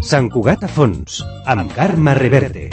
Sant Cugat a fons, amb Carme Reverte.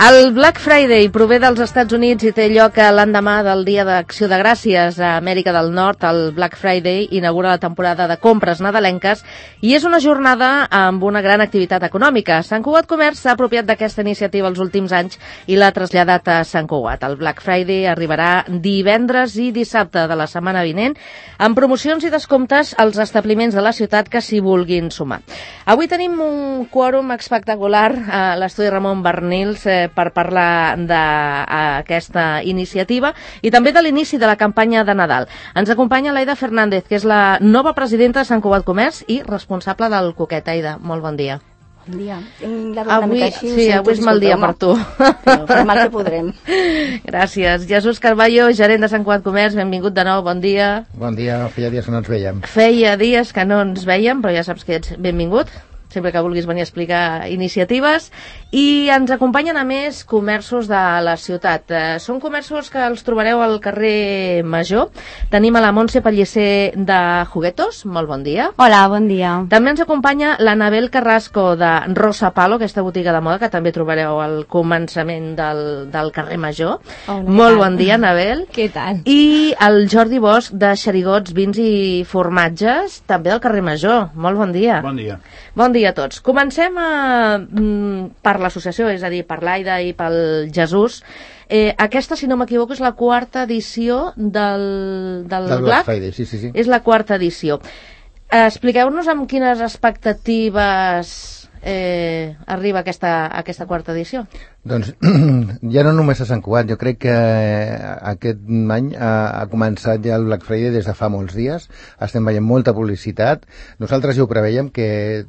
El Black Friday prové dels Estats Units i té lloc l'endemà del Dia d'Acció de Gràcies a Amèrica del Nord. El Black Friday inaugura la temporada de compres nadalenques i és una jornada amb una gran activitat econòmica. Sant Cugat Comerç s'ha apropiat d'aquesta iniciativa els últims anys i l'ha traslladat a Sant Cugat. El Black Friday arribarà divendres i dissabte de la setmana vinent amb promocions i descomptes als establiments de la ciutat que s'hi vulguin sumar. Avui tenim un quòrum espectacular a l'estudi Ramon Barnils per parlar d'aquesta iniciativa i també de l'inici de la campanya de Nadal. Ens acompanya l'Aida Fernández, que és la nova presidenta de Sant Cugat Comerç i responsable del Coquet. Aida, molt bon dia. Bon dia. Avui és mal dia per tu. Però fem el que podrem. Gràcies. Jesús Carballo, gerent de Sant Cugat Comerç, benvingut de nou, bon dia. Bon dia, feia dies que no ens veiem. Feia dies que no ens veiem, però ja saps que ets benvingut, sempre que vulguis venir a explicar iniciatives. I ens acompanyen, a més, comerços de la ciutat. Són comerços que els trobareu al carrer Major. Tenim a la Montse Pellicer de Juguetos. Molt bon dia. Hola, bon dia. També ens acompanya l'Anabel Carrasco de Rosa Palo, aquesta botiga de moda que també trobareu al començament del carrer Major. Molt bon dia, Anabel. Què tal? I el Jordi Bosch de Xerigots, Vins i Formatges, també del carrer Major. Molt bon dia. Bon dia. Bon dia a tots. Comencem per l'associació, és a dir, per l'Aida i pel Jesús. Aquesta, si no m'equivoco, és la quarta edició del Black Friday, sí. És la quarta edició. Expliqueu-nos amb quines expectatives arriba aquesta quarta edició. Doncs ja no només a Sant Cugat, jo crec que aquest any ha començat ja el Black Friday des de fa molts dies, estem veient molta publicitat, nosaltres ja ho preveiem que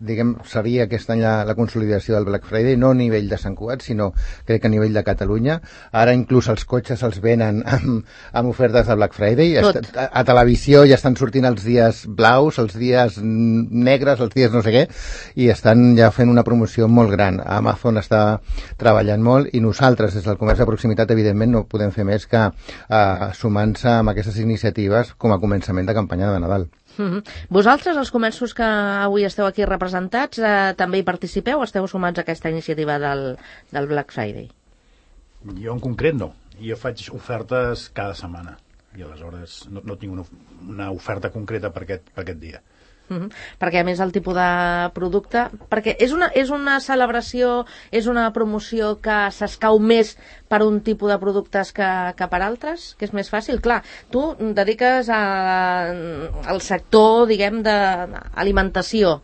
seria aquest any la consolidació del Black Friday, no a nivell de Sant Cugat, sinó crec que a nivell de Catalunya. Ara inclús els cotxes els venen amb ofertes de Black Friday, a televisió ja estan sortint els dies blaus, els dies negres, els dies no sé què, i estan ja fent una promoció molt gran. Amazon està treballant molt i nosaltres des del comerç de proximitat evidentment no podem fer més que sumant-se amb aquestes iniciatives com a començament de campanya de Nadal. Vosaltres, els comerços que avui esteu aquí representats, també hi participeu o esteu sumats a aquesta iniciativa del Black Friday? Jo en concret no, jo faig ofertes cada setmana i aleshores no tinc una oferta concreta per aquest dia. Perquè a més el tipus de producte, perquè és una celebració, és una promoció que s'escau més per un tipus de productes que per altres, que és més fàcil. Clar, tu dediques al sector, diguem, d'alimentació.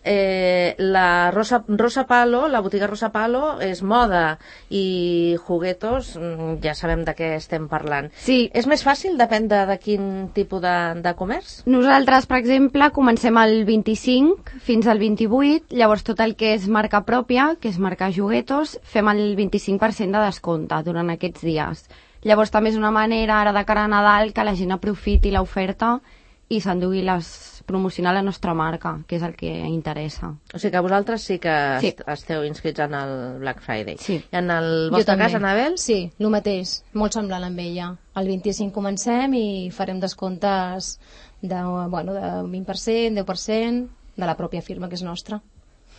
La Rosa Palo, la botiga Rosa Palo és moda i Juguetos ja sabem de què estem parlant. Sí. És més fàcil, depèn de quin tipus de comerç? Nosaltres, per exemple, comencem el 25 fins al 28, llavors tot el que és marca pròpia, que és marca Juguetos, fem el 25% de descompte durant aquests dies. Llavors també és una manera ara de cara a Nadal que la gent aprofiti l'oferta i s'endugui promocionar la nostra marca, que és el que interessa. O sigui que vosaltres sí que esteu inscrits en el Black Friday. Sí. I en el vostre cas, Anabel? Sí, el mateix, molt semblant amb ella. El 25 comencem i farem descomptes de 20%, 10% de la pròpia firma, que és nostra.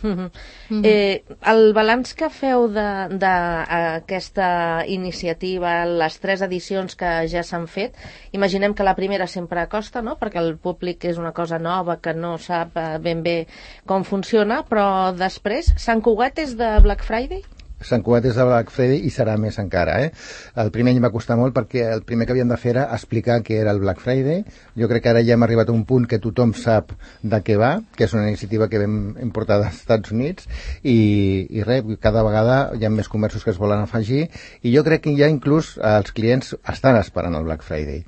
El balanç que feu d'aquesta iniciativa, les 3 edicions que ja s'han fet, imaginem que la primera sempre costa, no? Perquè el públic és una cosa nova que no sap ben bé com funciona, però després, Sant Cugat és de Black Friday? Sant Cugat és de Black Friday i serà més encara. El primer any va costar molt perquè el primer que havíem de fer era explicar què era el Black Friday. Jo crec que ara ja hem arribat a un punt que tothom sap de què va, que és una iniciativa que vam importar dels Estats Units i res, cada vegada hi ha més comerços que es volen afegir i jo crec que ja inclús els clients estan esperant el Black Friday.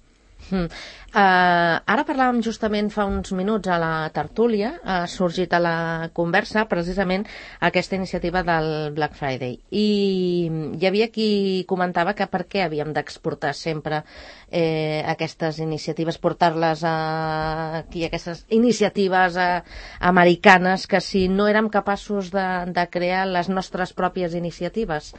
Ara parlàvem justament fa uns minuts a la tertúlia, ha sorgit a la conversa precisament aquesta iniciativa del Black Friday, i hi havia qui comentava que per què havíem d'exportar sempre aquestes iniciatives, portar-les aquí, aquestes iniciatives americanes, que si no érem capaços de crear les nostres pròpies iniciatives.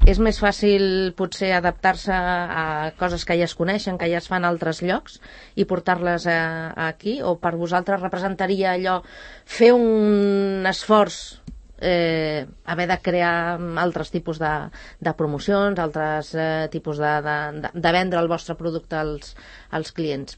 És més fàcil potser adaptar-se a coses que ja es coneixen, que ja es fan a altres llocs, i portar-les aquí, o per vosaltres representaria allò fer un esforç, haver de crear altres tipus de promocions, altres tipus de vendre el vostre producte als clients?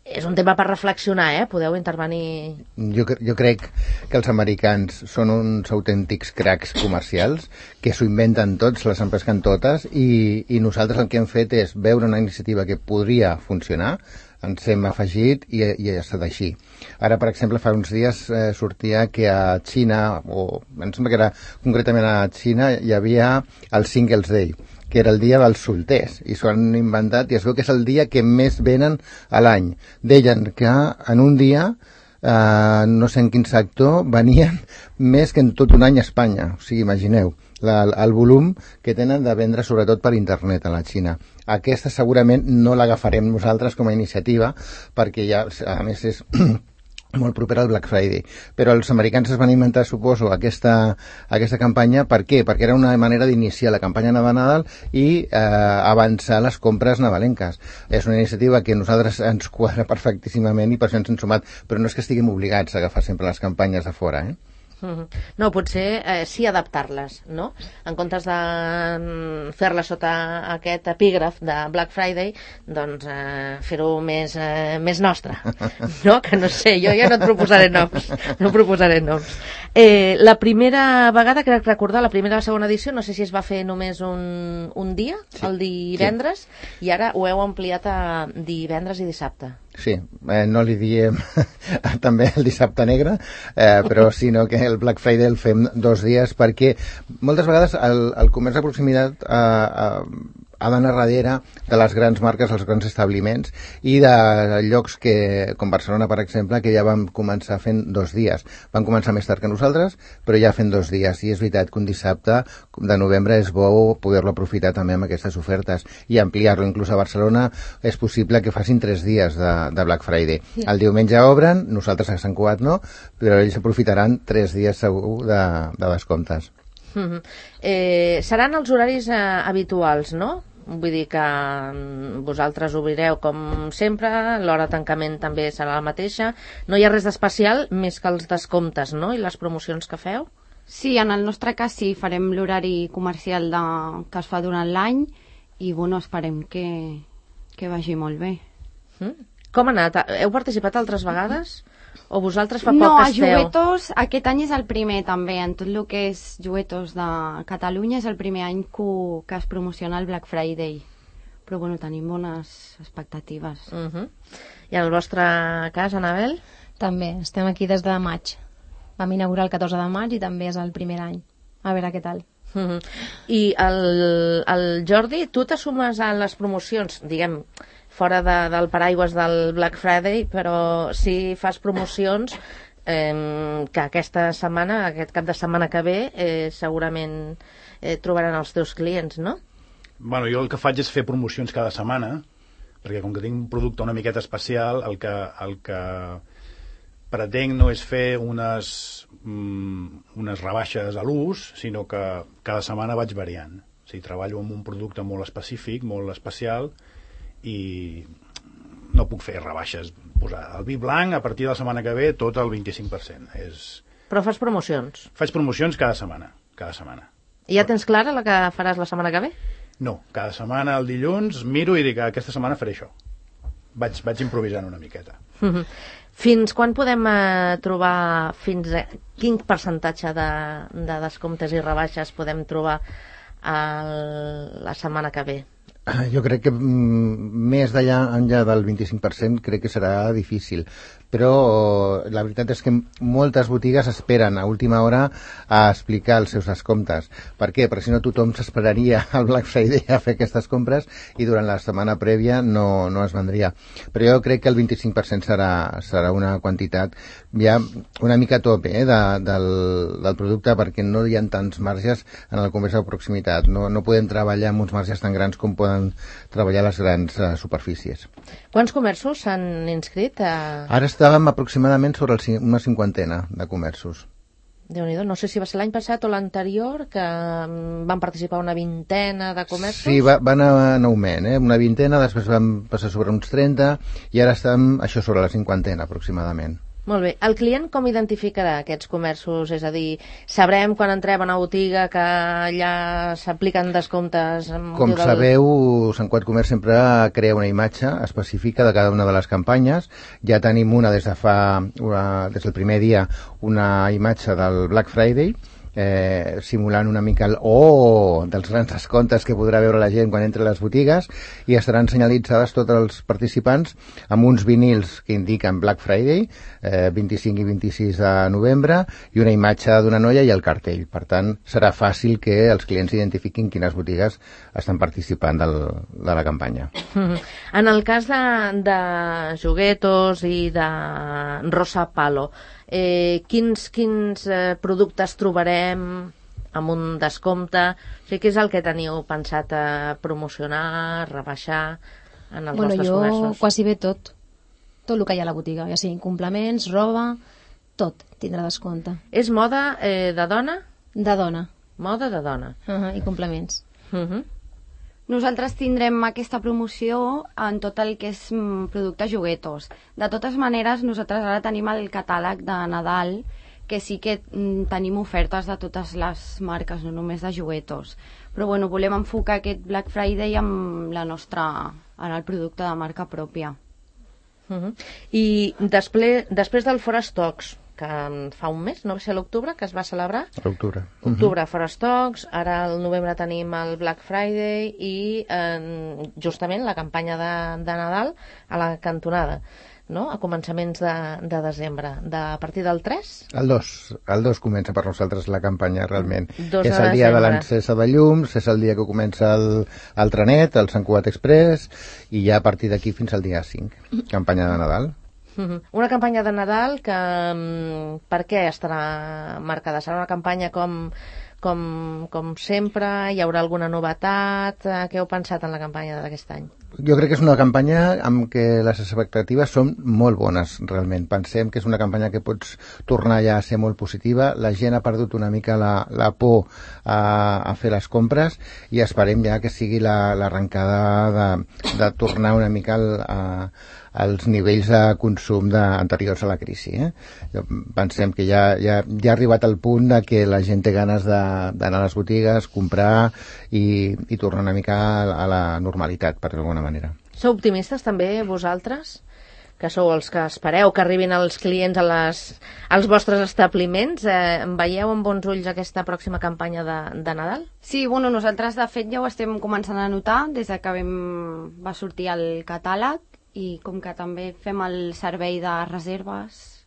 És un tema per reflexionar, podeu intervenir. Jo crec que els americans són uns autèntics cracs comercials, que s'ho inventen tots, les empesquen totes, i nosaltres el que hem fet és veure una iniciativa que podria funcionar, ens hem afegit i ha estat així. Ara, per exemple, fa uns dies sortia que a Xina, o em sembla que era concretament a Xina, hi havia el Singles Day, que era el dia dels solters, i s'ho han inventat, i es veu que és el dia que més venen a l'any. Deien que en un dia, no sé en quin sector, venien més que en tot un any a Espanya. O sigui, imagineu el volum que tenen de vendre, sobretot per internet, a la Xina. Aquesta segurament no l'agafarem nosaltres com a iniciativa, perquè ja, a més, és molt proper al Black Friday, però els americans es van inventar, suposo, aquesta campanya. Per què? Perquè era una manera d'iniciar la campanya de Nadal i avançar les compres nadalenques. És una iniciativa que a nosaltres ens quadra perfectíssimament i per això ens hem sumat, però no és que estiguem obligats a agafar sempre les campanyes de fora, No, potser sí adaptar-les, no? En comptes de fer-les sota aquest epígraf de Black Friday, doncs fer-ho més nostre, no? Que no sé, jo ja no et proposaré noms. La primera vegada, crec recordar, la primera i la segona edició, no sé si es va fer només un dia, sí, el divendres, sí. I ara ho heu ampliat a divendres i dissabte. Sí, no li diem també el dissabte negre, però sinó que el Black Friday el fem 2 dies, perquè moltes vegades el comerç de proximitat ha d'anar darrere de les grans marques, els grans establiments, i de llocs com Barcelona, per exemple, que ja vam començar fent 2 dies. Van començar més tard que nosaltres, però ja fent 2 dies, i és veritat que un dissabte de novembre és bo poder-lo aprofitar també amb aquestes ofertes i ampliar-lo. Inclús a Barcelona és possible que facin 3 dies de Black Friday. El diumenge obren, nosaltres a Sant Cugat no, però ells aprofitaran 3 dies segur de descomptes. Seran els horaris habituals, no? Vull dir que vosaltres obrireu com sempre, l'hora de tancament també serà la mateixa, no hi ha res d'especial més que els descomptes, no? I les promocions que feu? Sí, en el nostre cas sí, farem l'horari comercial que es fa durant l'any, i bueno, esperem que vagi molt bé. Com ha anat? Heu participat altres vegades? O vosaltres fa poc no, que esteu? No, a Juguetos aquest any és el primer també, en tot el que és Juguetos de Catalunya és el primer any que es promociona el Black Friday, però bueno, tenim bones expectatives. I en el vostre cas, Anabel? També, estem aquí des de maig. Vam inaugurar el 14 de maig i també és el primer any. A veure què tal. I el Jordi, tu t'assumes a les promocions, diguem, fora del paraigües del Black Friday, però si fas promocions que aquesta setmana, aquest cap de setmana que ve, segurament trobaran els teus clients, no? Bueno, jo el que faig és fer promocions cada setmana, perquè com que tinc un producte una miqueta especial, el que pretenc no és fer unes rebaixes a l'ús, sinó que cada setmana vaig variant. O sigui, treballo amb un producte molt específic, molt especial, i no puc fer rebaixes. Posar el vi blanc a partir de la setmana que ve tot el 25%. Però fas promocions? Faig promocions cada setmana. I ja tens clara la que faràs la setmana que ve? No, cada setmana el dilluns miro i dic que aquesta setmana faré això. Vaig improvisant una miqueta. Fins quan podem trobar, quin percentatge de descomptes i rebaixes podem trobar la setmana que ve? Jo crec que més d'allà enllà del 25% crec que serà difícil, però la veritat és que moltes botigues esperen a última hora a explicar els seus descomptes. Per què? Perquè si no tothom s'esperaria al Black Friday a fer aquestes compres i durant la setmana prèvia no es vendria. Però jo crec que el 25% serà una quantitat ja una mica tope del producte, perquè no hi ha tants marges en el comerç de proximitat. No podem treballar amb uns marges tan grans com poden treballar les grans superfícies. Quants comerços s'han inscrit? Ara estàvem aproximadament sobre una 50 de comerços. Déu-n'hi-do, no sé si va ser l'any passat o l'anterior, que van participar una 20 de comerços. Sí, va anar en augment, una 20, després vam passar sobre uns 30 i ara estem això sobre la 50 aproximadament. Molt bé. El client com identificarà aquests comerços? És a dir, sabrem quan entrem a una botiga que allà s'apliquen descomptes? Com sabeu, Sant Cugat Comerç sempre crea una imatge específica de cada una de les campanyes. Ja tenim des del primer dia, una imatge del Black Friday, simulant una mica dels grans descomptes que podrà veure la gent quan entra a les botigues, i estaran senyalitzades tots els participants amb uns vinils que indiquen Black Friday, 25 i 26 de novembre, i una imatge d'una noia i el cartell. Per tant, serà fàcil que els clients identifiquin quines botigues estan participant de la campanya. En el cas de Juguetos i de Rosa Palo, quins productes trobarem amb un descompte? O sigui, què és el que teniu pensat a promocionar, rebaixar en els vostres comerços? Quasi bé tot el que hi ha a la botiga, ja siguin complements, roba, tot tindrà descompte. És moda de dona? De dona. Moda de dona. I complements. Nosaltres tindrem aquesta promoció en tot el que és producte Juguetos. De totes maneres, nosaltres ara tenim el catàleg de Nadal, que sí que tenim ofertes de totes les marques, no només de Juguetos. Però bueno, volem enfocar aquest Black Friday amb en el producte de marca pròpia. I després del Fora Stocks, que fa un mes, no va ser l'octubre, que es va celebrar? L'octubre. Octubre, Fora Stocks, ara al novembre tenim el Black Friday i justament la campanya de Nadal a la cantonada, no? A començaments de desembre. A partir del 3? El 2 comença per nosaltres la campanya, realment. És el dia de l'encesa de llums, és el dia que comença el trenet, el Sant Cugat Express, i ja a partir d'aquí fins al dia 5, campanya de Nadal. Una campanya de Nadal que per què estarà marcada? Serà una campanya com sempre? Hi haurà alguna novetat? Què heu pensat en la campanya d'aquest any? Jo crec que és una campanya amb què les expectatives són molt bones, realment. Pensem que és una campanya que pots tornar ja a ser molt positiva. La gent ha perdut una mica la por a fer les compres i esperem ja que sigui l'arrencada de tornar una mica als nivells de consum anteriors a la crisi. Pensem que ja ha arribat el punt de que la gent té ganes d'anar a les botigues, comprar i tornar una mica a la normalitat, per alguna manera. Sou optimistes també vosaltres? Que sou els que espereu que arribin els clients als vostres establiments? Veieu amb bons ulls aquesta pròxima campanya de Nadal? Sí, bueno, nosaltres de fet ja ho estem començant a notar des que va sortir el catàleg, i com que també fem el servei de reserves,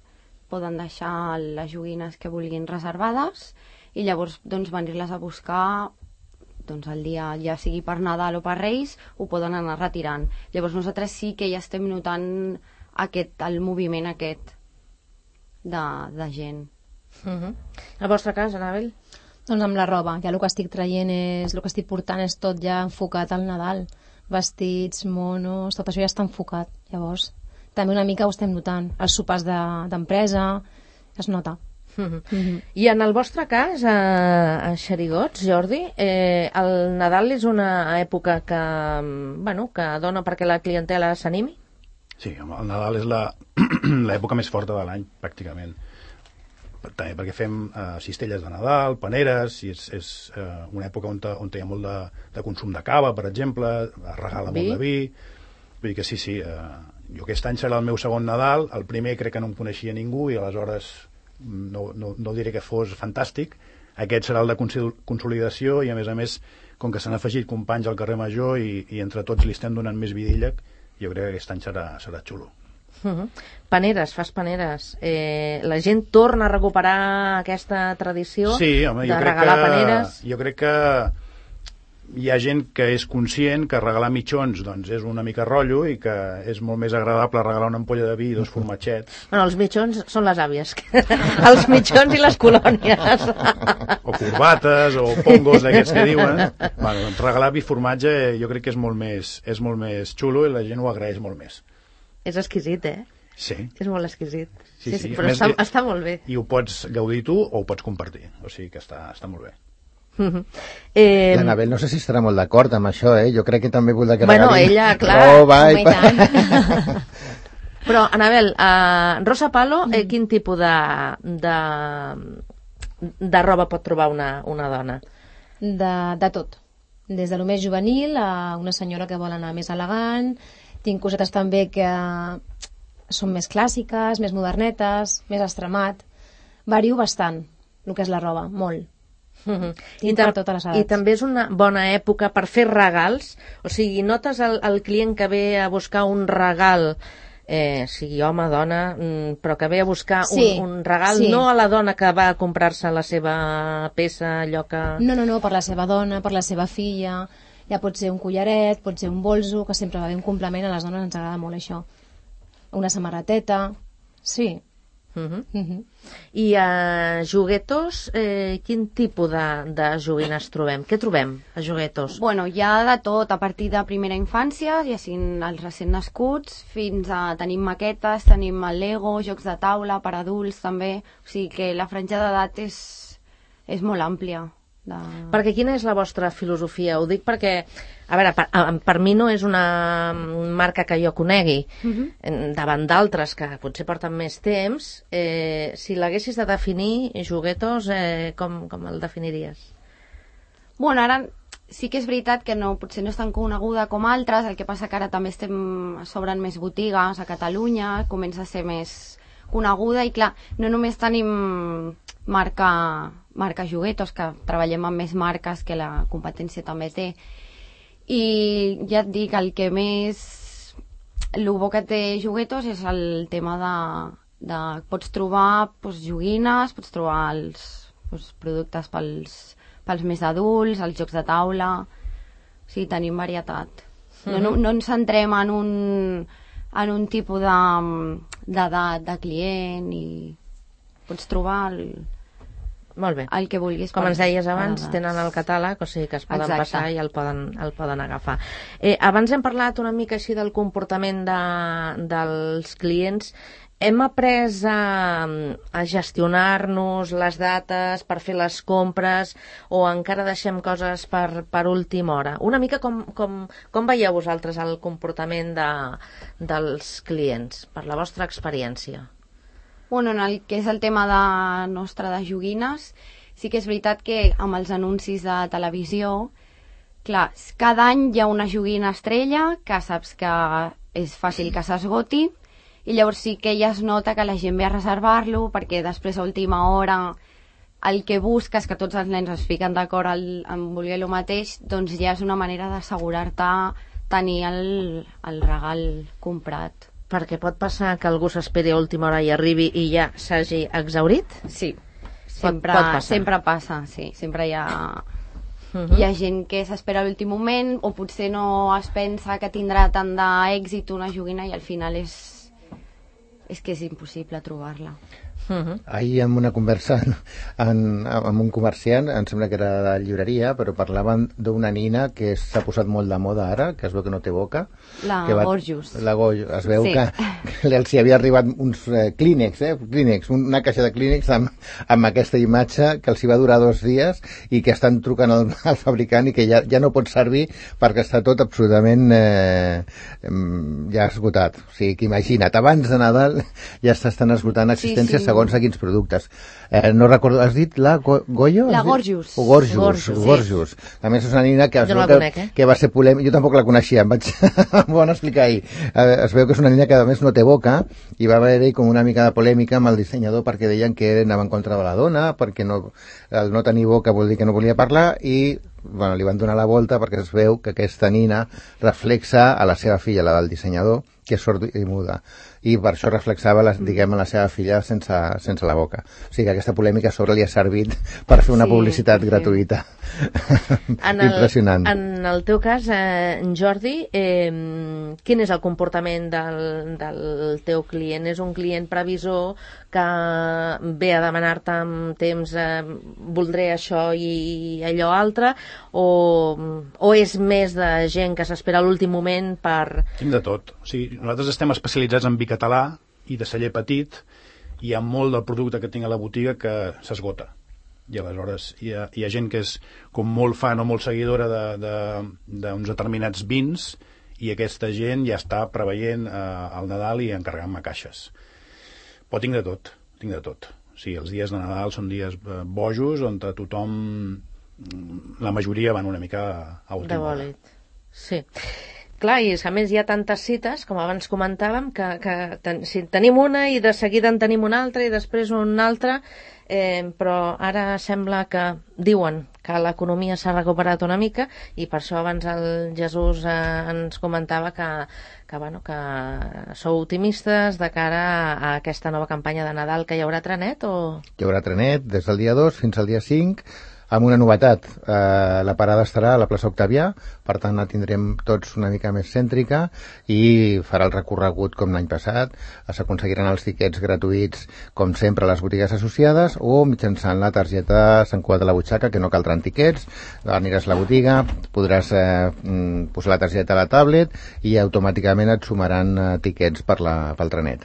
poden deixar les joguines que vulguin reservades i llavors venir-les a buscar el dia, ja sigui per Nadal o per Reis, ho poden anar retirant. Llavors nosaltres sí que ja estem notant el moviment aquest de gent. El vostre cas, Anabel? Doncs amb la roba, ja el que estic traient el que estic portant és tot ja enfocat al Nadal. Vestits, monos, tot això ja està enfocat. Llavors, també una mica ho estem notant. Els sopars d'empresa, es nota. I en el vostre cas, a Xerigots, Jordi, el Nadal és una època que dona perquè la clientela s'animi? Sí, el Nadal és l'època més forta de l'any, pràcticament. També perquè fem cistelles de Nadal, paneres, i és una època on hi ha molt de consum de cava, per exemple, es regala molt de vi. Vull dir que sí, jo aquest any serà el meu segon Nadal, el primer crec que no em coneixia ningú i aleshores no diré que fos fantàstic. Aquest serà el de consolidació i, a més, com que s'han afegit companys al carrer Major i entre tots li estem donant més vidilla, jo crec que aquest any serà xulo. Paneres, fas paneres. La gent torna a recuperar aquesta tradició de regalar paneres? Jo crec que hi ha gent que és conscient que regalar mitjons doncs és una mica rotllo i que és molt més agradable regalar una ampolla de vi i 2 formatgets. Bueno, els mitjons són les àvies. Els mitjons i les colònies. O corbates, o pongos d'aquests que diuen. Bueno, doncs regalar vi i formatge jo crec que és molt més xulo i la gent ho agraeix molt més. És exquisit, Sí. És molt exquisit. Sí. Però està molt bé. I ho pots gaudir tu o ho pots compartir. O sigui que està molt bé. L'Anabel no sé si estarà molt d'acord amb això, jo crec que també voldrà que regalin. Ella, clar. Però, Anabel, Rosa Palo, quin tipus de roba pot trobar una dona? De tot. Des de lo més juvenil a una senyora que vol anar més elegant. Tinc cosetes també que són més clàssiques, més modernetes, més extremat. Vario bastant el que és la roba, molt. I també és una bona època per fer regals, o sigui, notes el client que ve a buscar un regal, sigui home, dona, però que ve a buscar un regal, no a la dona que va a comprar-se la seva peça, allò que... No, per la seva dona, per la seva filla, ja pot ser un collaret, pot ser un bolso, que sempre va bé un complement, a les dones ens agrada molt això. Una samarreteta, sí. I a Juguetos, quin tipus de joguines trobem? Què trobem a Juguetos? Bueno, hi ha de tot, a partir de primera infància, ja siguin els recent nascuts, fins a tenim maquetes, tenim el Lego, jocs de taula per adults també, o sigui que la franja d'edat és molt àmplia. Perquè quina és la vostra filosofia? Ho dic perquè, a veure, per mi no és una marca que jo conegui, davant d'altres que potser porten més temps. Si l'haguessis de definir, Juguetos, com el definiries? Bueno, ara sí que és veritat que potser no és tan coneguda com altres, el que passa que ara també s'obren més botigues a Catalunya, comença a ser més coneguda i clar, no només tenim marca Juguetos, que treballem amb més marques que la competència també té, i ja et dic, el que més el bo que té Juguetos és el tema de pots trobar joguines, pots trobar els productes pels més adults, els jocs de taula, o sigui, tenim varietat. No ens centrem en un tipus d'edat de client i pots trobar molt bé. El que vulguis. Com ens deies abans, tenen el catàleg, o sigui que es poden passar i el poden agafar. Abans hem parlat una mica així del comportament dels clients. Hem après a gestionar-nos les dates per fer les compres o encara deixem coses per última hora? Una mica com veieu vosaltres el comportament dels clients, per la vostra experiència? Bueno, en el que és el tema de joguines, sí que és veritat que amb els anuncis de televisió, clar, cada any hi ha una joguina estrella que saps que és fàcil que s'esgoti i llavors sí que ja es nota que la gent ve a reservar-lo perquè després a última hora el que busques, que tots els nens es fiquen d'acord en voler el mateix, doncs ja és una manera d'assegurar-te tenir el regal comprat. Perquè pot passar que algú s'esperi a última hora i arribi i ja s'hagi exhaurit? Sí, sempre passa, sí. Sempre hi ha gent que s'espera a l'últim moment o potser no es pensa que tindrà tant d'èxit una joguina i al final és que és impossible trobar-la. Ahir en una conversa amb un comerciant, em sembla que era de llibreria, però parlaven d'una nina que s'ha posat molt de moda ara, que es veu que no té boca. Gorgeous. Es veu que els hi havia arribat uns Kleenex, una caixa de Kleenex amb aquesta imatge que els hi va durar 2 dies i que estan trucant al fabricant i que ja no pot servir perquè està tot absolutament ja esgotat. O sigui, que imagina't, abans de Nadal ja s'estan esgotant existències segons a quins productes. No recordo, has dit la Goyo? La Gorjus. Gorjus. A més, és una nina que, Jo no la conec, que va ser polèmica. Jo tampoc la coneixia, em van explicar ahir. Es veu que és una nina que, a més, no té boca, i va haver-hi com una mica de polèmica amb el dissenyador perquè deien que anava en contra de la dona, perquè el no tenir boca vol dir que no volia parlar, i bueno, li van donar la volta perquè es veu que aquesta nina reflexa a la seva filla, la del dissenyador, que és sorda i muda, i per això reflexava la seva filla sense la boca. O sigui que aquesta polèmica sobre li ha servit per fer una publicitat gratuïta. Impressionant. En el teu cas, Jordi, quin és el comportament del teu client? És un client previsor que ve a demanar-te amb temps voldré això i allò altre, o és més de gent que s'espera a l'últim moment per... Tinc de tot. O sigui, nosaltres estem especialitzats en vi català i de celler petit, i hi ha molt del producte que tinc a la botiga que s'esgota. I aleshores hi ha gent que és com molt fan o molt seguidora d'uns determinats vins, i aquesta gent ja està preveient al Nadal i encarregant-me caixes. Però tinc de tot. O sigui, els dies de Nadal són dies bojos, on tothom, la majoria van una mica a última hora. Sí. Clar, i a més hi ha tantes cites, com abans comentàvem, que si tenim una i de seguida en tenim una altra i després una altra, però ara sembla que diuen que l'economia s'ha recuperat una mica, i per això abans el Jesús ens comentava que sou optimistes de cara a aquesta nova campanya de Nadal, que hi haurà trenet o...? Hi haurà trenet des del dia 2 fins al dia 5, amb una novetat. La parada estarà a la plaça Octavià, per tant la tindrem tots una mica més cèntrica, i farà el recorregut com l'any passat. S'aconseguiran els tiquets gratuïts, com sempre, a les botigues associades, o mitjançant la targeta Sant Cugat de la Butxaca, que no caldran tiquets. Aniràs a la botiga, podràs posar la targeta a la tablet i automàticament et sumaran tiquets pel trenet.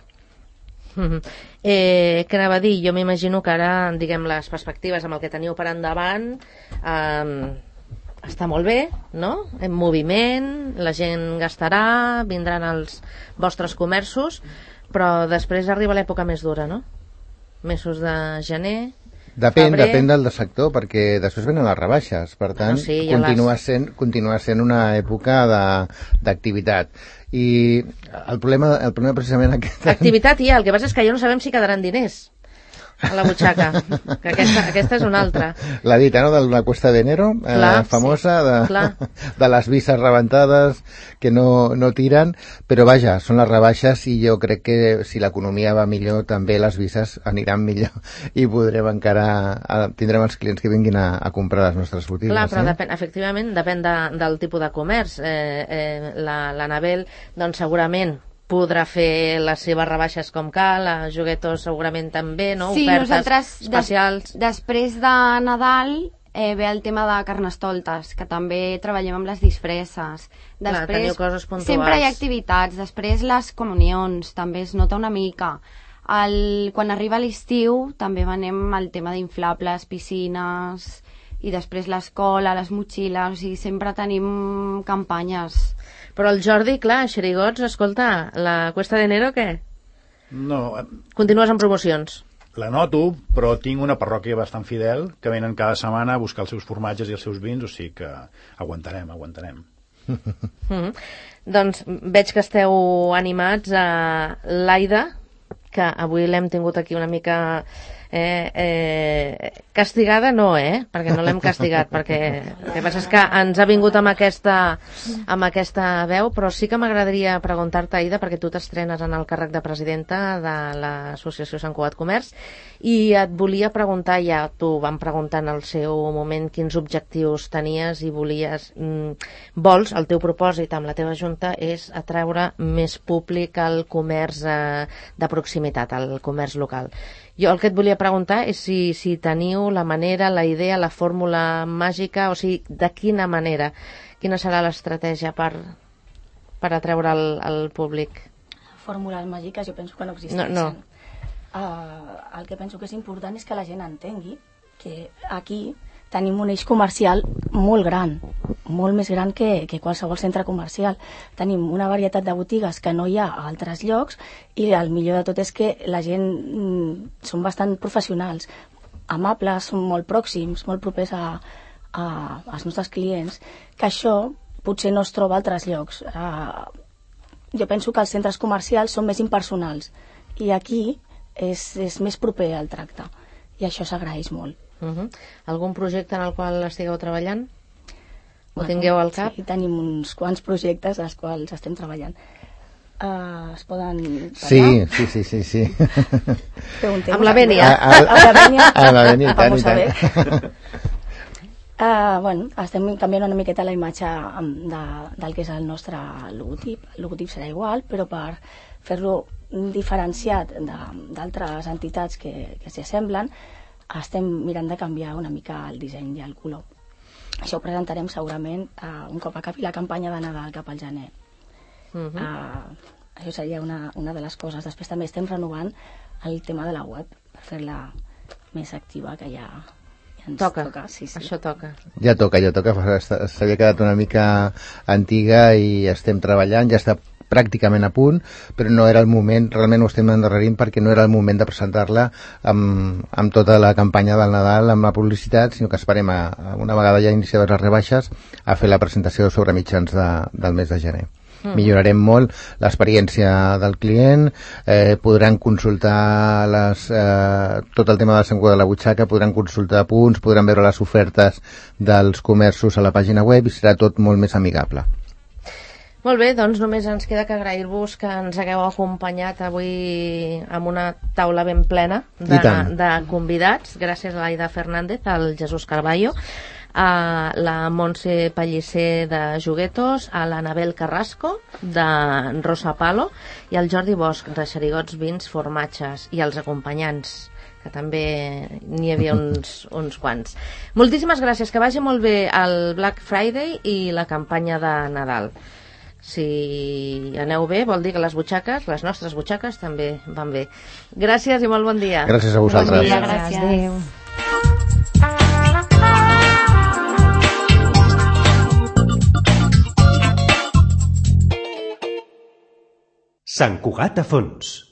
Què anava a dir? Jo m'imagino que ara, diguem, les perspectives amb el que teniu per endavant està molt bé, no? En moviment, la gent gastarà, vindran als vostres comerços, però després arriba l'època més dura, no? Mesos de gener... Depèn del sector, perquè després venen les rebaixes, per tant, continua sent una època d'activitat. I el problema precisament aquest... Activitat hi ha, el que passa és que ja no sabem si quedaran diners a la butxaca, que aquesta és una altra. La dita, no?, de la Cuesta de Enero, famosa, de les visses rebentades que no tiren, però vaja, són les rebaixes, i jo crec que si l'economia va millor, també les visses aniran millor, i tindrem els clients que vinguin a comprar les nostres botigues. Clar, però efectivament depèn del tipus de comerç. L'Anabel, doncs segurament podrà fer les seves rebaixes com cal, a Juguetos segurament també, no? Sí, ofertes especials. Després de Nadal ve el tema de Carnestoltes, que també treballem amb les disfresses. Després, teniu coses puntuals. Sempre hi ha activitats. Després les comunions, també es nota una mica. Quan arriba l'estiu també venem el tema d'inflables, piscines, i després l'escola, les motxilles, o sigui, sempre tenim campanyes. Però el Jordi, clar, xerigots, escolta, la Cuesta de Enero, què? No. Continues amb promocions? La noto, però tinc una parròquia bastant fidel, que venen cada setmana a buscar els seus formatges i els seus vins, o sigui que aguantarem. Doncs veig que esteu animats a l'Aida, que avui l'hem tingut aquí una mica... castigada no, perquè no l'hem castigat, perquè el que passa és que ens ha vingut amb aquesta veu, però sí que m'agradaria preguntar-te, Aida, perquè tu t'estrenes en el càrrec de presidenta de l'associació Sant Cugat Comerç, i et volia preguntar, ja t'ho vam preguntar en el seu moment, quins objectius tenies i vols, el teu propòsit amb la teva junta és atreure més públic al comerç de proximitat, al comerç local. Jo el que et volia preguntar és si teniu la manera, la idea, la fórmula màgica, o sigui, de quina manera, quina serà l'estratègia per atreure el públic? Fórmules màgiques jo penso que no existeixen. No. El que penso que és important és que la gent entengui que aquí tenim un eix comercial molt gran, molt més gran que qualsevol centre comercial. Tenim una varietat de botigues que no hi ha a altres llocs i el millor de tot és que la gent són bastant professionals, amables, són molt pròxims, molt propers als nostres clients, que això potser no es troba a altres llocs. Jo penso que els centres comercials són més impersonals i aquí és més proper al tracte i això s'agraeix molt. Algun projecte en el qual estigueu treballant? Ho tingueu al cap? Sí, tenim uns quants projectes als quals estem treballant. Es poden Amb parlar? la Bènia. Amb la Bènia, i tant, i tant. Estem canviant una miqueta la imatge del que és el nostre logotip. El logotip serà igual, però per fer-lo diferenciat d'altres entitats que s'hi assemblen, estem mirant de canviar una mica el disseny i el color. Això ho presentarem segurament un cop acabi la campanya de Nadal cap al gener. Això seria una de les coses. Després també estem renovant el tema de la web per fer-la més activa, que ja ens toca. Sí. Això toca. Ja toca. S'havia quedat una mica antiga i estem treballant, ja està pràcticament a punt, però no era el moment, realment ho estem endarrerint perquè no era el moment de presentar-la amb tota la campanya del Nadal, amb la publicitat, sinó que esperem una vegada ja iniciades les rebaixes a fer la presentació sobre mitjans del mes de gener. Millorarem molt l'experiència del client, podran consultar tot el tema de la sanguda de la butxaca, podran consultar punts, podran veure les ofertes dels comerços a la pàgina web i serà tot molt més amigable. Molt bé, doncs només ens queda que agrair-vos que ens hagueu acompanyat avui amb una taula ben plena de convidats. Gràcies a l'Aida Fernández, al Jesús Carballo, a la Montse Pellicer de Juguetos, a l'Anabel Carrasco de Rosa Palo i al Jordi Bosch de Xerigots, Vins, Formatges, i els acompanyants, que també n'hi havia uns quants. Moltíssimes gràcies, que vagi molt bé el Black Friday i la campanya de Nadal. Si aneu bé, vol dir que les nostres butxaques també van bé. Gràcies i molt bon dia. Gràcies a vosaltres. Bon dia, gràcies. Adéu. Sant Cugat a fons.